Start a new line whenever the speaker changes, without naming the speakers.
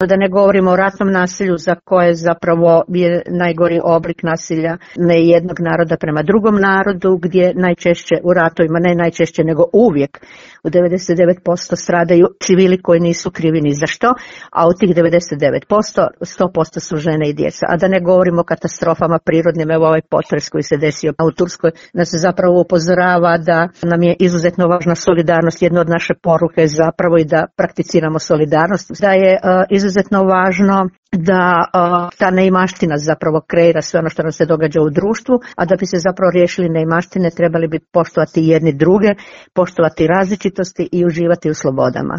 Da ne govorimo o ratnom nasilju za koje zapravo je najgori oblik nasilja ne jednog naroda prema drugom narodu, gdje najčešće u ratovima, ne najčešće nego uvijek u 99% stradaju civili koji nisu krivi ni za što, a u tih 99% 100% su žene i djeca. A da ne govorimo o katastrofama prirodnim, evo ovaj potres koji se desio u Turskoj nas zapravo upozorava da nam je izuzetno važna solidarnost. Jedna od naše poruke je zapravo i da prakticiramo solidarnost, da je izuzetno važno da ta neimaština zapravo kreira sve ono što nam se događa u društvu, a da bi se zapravo riješili neimaštine trebali bi poštovati jedni druge, poštovati različitosti i uživati u slobodama.